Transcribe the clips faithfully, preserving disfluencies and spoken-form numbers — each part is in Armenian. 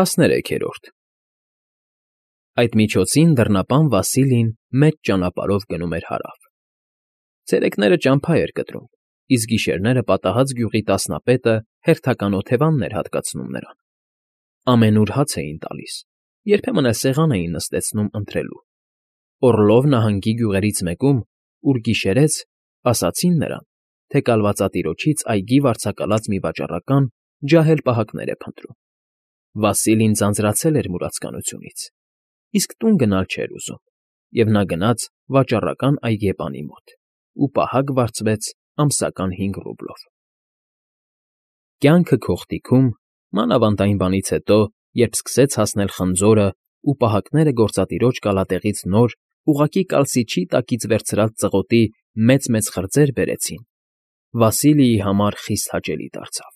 ՏԱՍՆԵՐszԵՔԵՐՈՐԴ Այդ միջոցին դռնապան Վասիլին մեծ ճանապարհով գնում էր հարավ. ցերեկները ճամփա էր կտրում, իսկ գիշերները պատահած գյուղի տասնապետը հերթական օթևաններ էր հատկացնում նրան. ամենուր հաց էին տալիս, երբեմն էլ սեղան էին նստեցնում ընթրելու. Օռլով նահանգի գյուղերից մեկում, ուր գիշերեց, ասացին նրան, թե կալվածատիրոջից այգի վարձակալած մի վաճառական ջահել պահակներ է փնտրում. Վասիլին ձանձրացել էր մուրացկանությունից, իսկ տուն գնալ չէր ուզում, և նա գնաց վաճառական այգեպանի մոտ ու պահակ վարձվեց ամսական հինգ ռուբլով։ Կյանքը քողտիքում, մանավանդ այն բանից հետո, երբ սկսեց հասնել խնձորն ու պահակները գործատիրոջ կալատեղից նոր, ուղղակի կալսիչի տակից վերցրած ծղոտի մեծ֊մեծ խրձեր բերեցին, Վասիլիի համար խիստ հաճելի դարձավ.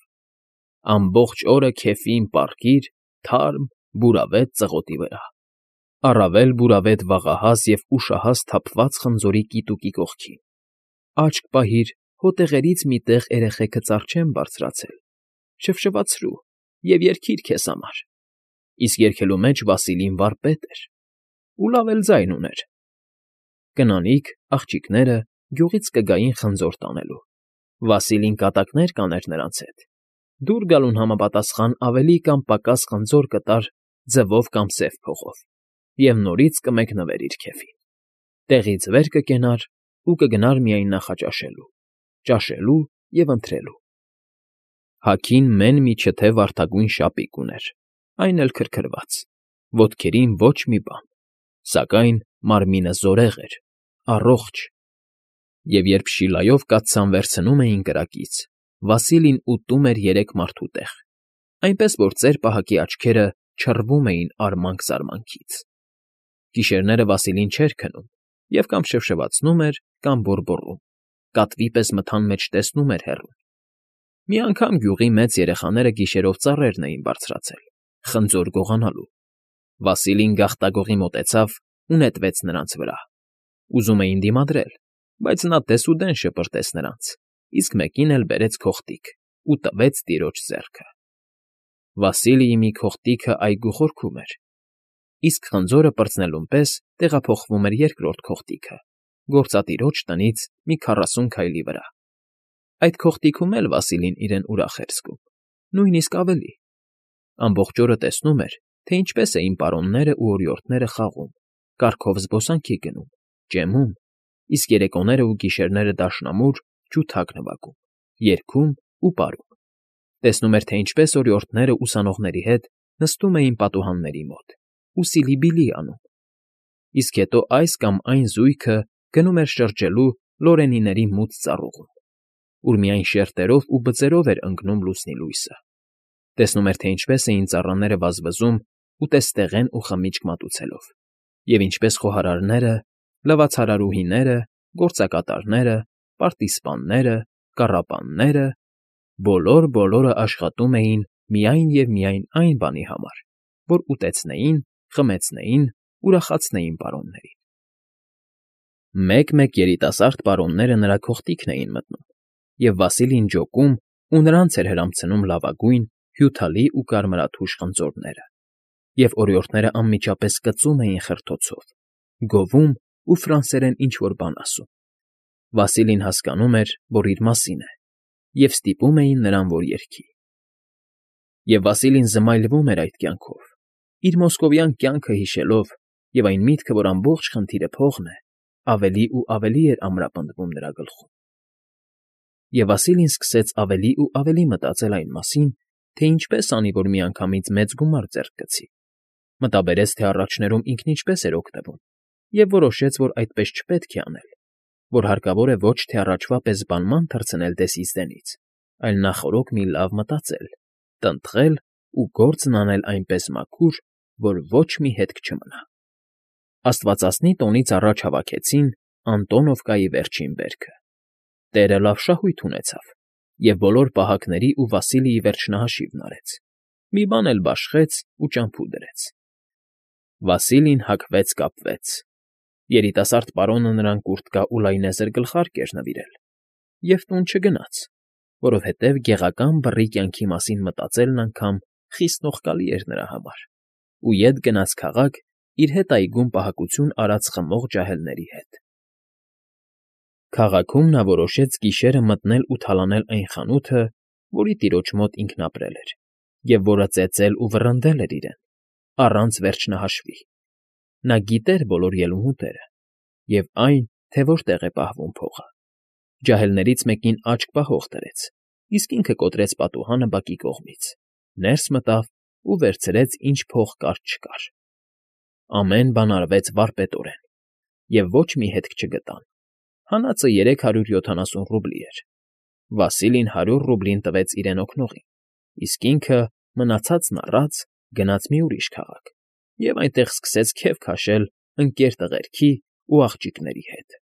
ամբողջ օրը քեֆին պառկիր թարմ, բուրավետ ծղոտի վրա, առավել բուրավետ վաղահաս և ուշահաս թափված խնձորի կիտուկի կողքին, աչք պահիր հոտեղերից մի տեղ էրեխեքը ծառ չեն բարձրացել, շվշվացրու և երգիր քեզ համար, իսկ երգելու մեջ Վասիլին վարպետ էր ու լավ էլ ձայն ուներ։ Կնանիք, աղջիկները գյուղից կգային խնձոր տանելու, Վասիլին կատակներ կաներ նրանց հետ, դուր գալուն համապատասխան ավելի կամ պակաս խնձոր կտար ձվով կամ սև փողով և նորից կմեկնվեր իր քեֆին, տեղից վեր կկենար ու կգնար միայն նախաճաշելու, ճաշելու և ընթրելու։ Հագին մեն մի չթե վարդագույն շապիկ ուներ, այն էլ քրքրված, ոտքերին ոչ մի բան, սակայն մարմինը զորեղ էր, առողջ, և երբ շիլայով կաթսան վերցնում էին կրակից, Վասիլին ուտում էր երեք մարդու տեղ, այնպես որ ծեր պահակի աչքերը չռվում էին արմանք֊զարմանքից։ Գիշերները Վասիլին չէր քնում և կամ շվշվացնում էր, կամ բոռբոռում, կատվի պես մթան մեջ տեսնում էր հեռուն։ Մի անգամ գյուղի մեծ երեխաները գիշերով ծառերն էին բարձրացել, խնձոր գողանալու, Վասիլին գաղտագողի մոտեցավ ու նետվեց նրանց վրա, ուզում էին դիմադրել, բայց նա դեսուդեն շպրտեց նրանց, իսկ մեկին էլ բերեց քողտիկ ու տվեց տիրոջ ձեռքը։ Վասիլիի մի քողտիքը այգու խորքում էր, իսկ խնձորը պրծնելուն պես տեղափոխվում էր երկրորդ քողտիքը, գործատիրոջ տնից մի քառասուն քայլի վրա։ Այդ քողտիքում էլ Վասիլին իրեն ուրախ էր զգում, նույնիսկ ավելի. ամբողջ օրը տեսնում էր, թե ինչպես էին պարոններն ու օրիորդները խաղում, կառքով զբոսանքի գնում, ճեմում, իսկ երեկոները ու գիշերները դաշնամուր ջութակ նվագում, երգում ու պարում, տեսնում էր, թե ինչպես օրիորդները ուսանողների հետ նստում էին պատուհանների մոտ ու սիլիբիլի անում, իսկ հետո այս կամ այն զույգը գնում էր շրջելու Լորենիների մութ ծառուղում, ուր միայն շերտերով ու բծերով էր ընկնում լուսնի լույսը, տեսնում էր, թե ինչպես էին ծառաները վազվզում ուտեստեղեն ու խմիչք մատուցելով, և ինչպես խոհարարները, լվացարարուհիները, գործակատարները, պարտիզպանները, կառապանները բոլոր֊բոլորը աշխատում էին միայն և միայն այն բանի համար, որ ուտեցնեին, խմեցնեին, ուրախացնեին պարոններին։ Մեկ֊մեկ երիտասարդ պարոնները նրա քողտիքն էին մտնում, և Վասիլին ջոկում ու նրանց էր հրամցնում լավագույն, հյութալի ու կարմրաթույժ խնձորները, և օրիորդներն անմիջապես կծում էին խրթոցով, գովում ու ֆրանսերեն ինչ֊որ բան ասում։ Վասիլին հասկանում էր, որ իր մասին է, և ստիպում էին նրան, որ երգի։ Եվ Վասիլին զմայլվում էր այդ կյանքով, իր մոսկովյան կյանքը հիշելով, և այն միտքը, որ ամբողջ խնդիրը փողն է, ավելի ու ավելի էր ամրապնդվում նրա գլխում։ Եվ Վասիլին սկսեց ավելի ու ավելի մտածել այն մասին, թե ինչպես անի, որ միանգամից մեծ գումար ձեռք գցի, մտաբերեց, թե առաջներում ինքն ինչպես էր օգտվում, և որոշեց, որ այդպես չպետք է անել, որ հարկավոր է ոչ թե առաջվա պես բանման թռցնել դեսից դենից, այլ նախօրոք մի լավ մտածել, տնտղել ու գործն անել այնպես մաքուր, որ ոչ մի հետք չմնա։ Աստվածասնի տոնից առաջ հավաքեցին Անտոնովկայի վերջին վերքը։ Տերը լավ շահույթ ունեցավ և բոլոր պահակների ու Վասիլիի վերջնահաշիվն արեց, մի բան էլ բաշխեց ու ճամփու դրեց։ Վասիլին հագվեց֊կապվեց։ Երիտասարդ պարոնը նրան կուրտկա ու լայնեզր գլխարկ էր նվիրել և տուն չգնաց, որովհետև գեղական բռի կյանքի մասին մտածելն անգամ խիսնողկալի էր նրա համար, ու ետ գնաց քաղաք իր հետ այգում պահակություն արած խմող ջահելների հետ։ Քաղաքում նա որոշեց գիշերը մտնել ու թալանել այն խանութը, որի տիրոջ մոտ ինքն ապրել էր, և որը ծեծել ու վռնդել էր իրեն, առանց վերջնահաշվի. նա գիտեր բոլոր ելումուտերը և այն, թե որտեղ է պահվում փողը։ Ջահելներից մեկին աչք պահող դրեց, իսկ ինքը կոտրեց պատուհանը բակի կողմից, ներս մտավ ու վերցրեց, ինչ փող կար֊չկար։ Ամեն բան արվեց վարպետորեն, և ոչ մի հետք չգտան. հանածը երեք հարյուր յոթանասուն ռուբլի էր. Վասիլին հարյուր ռուբլին տվեց իրեն օգնողին, իսկ ինքը, մնացածն առած, գնաց մի ուրիշ քաղաք և այնտեղ սկսեց քեֆ քաշել ընկեր տղերքի ու աղջիկների հետ։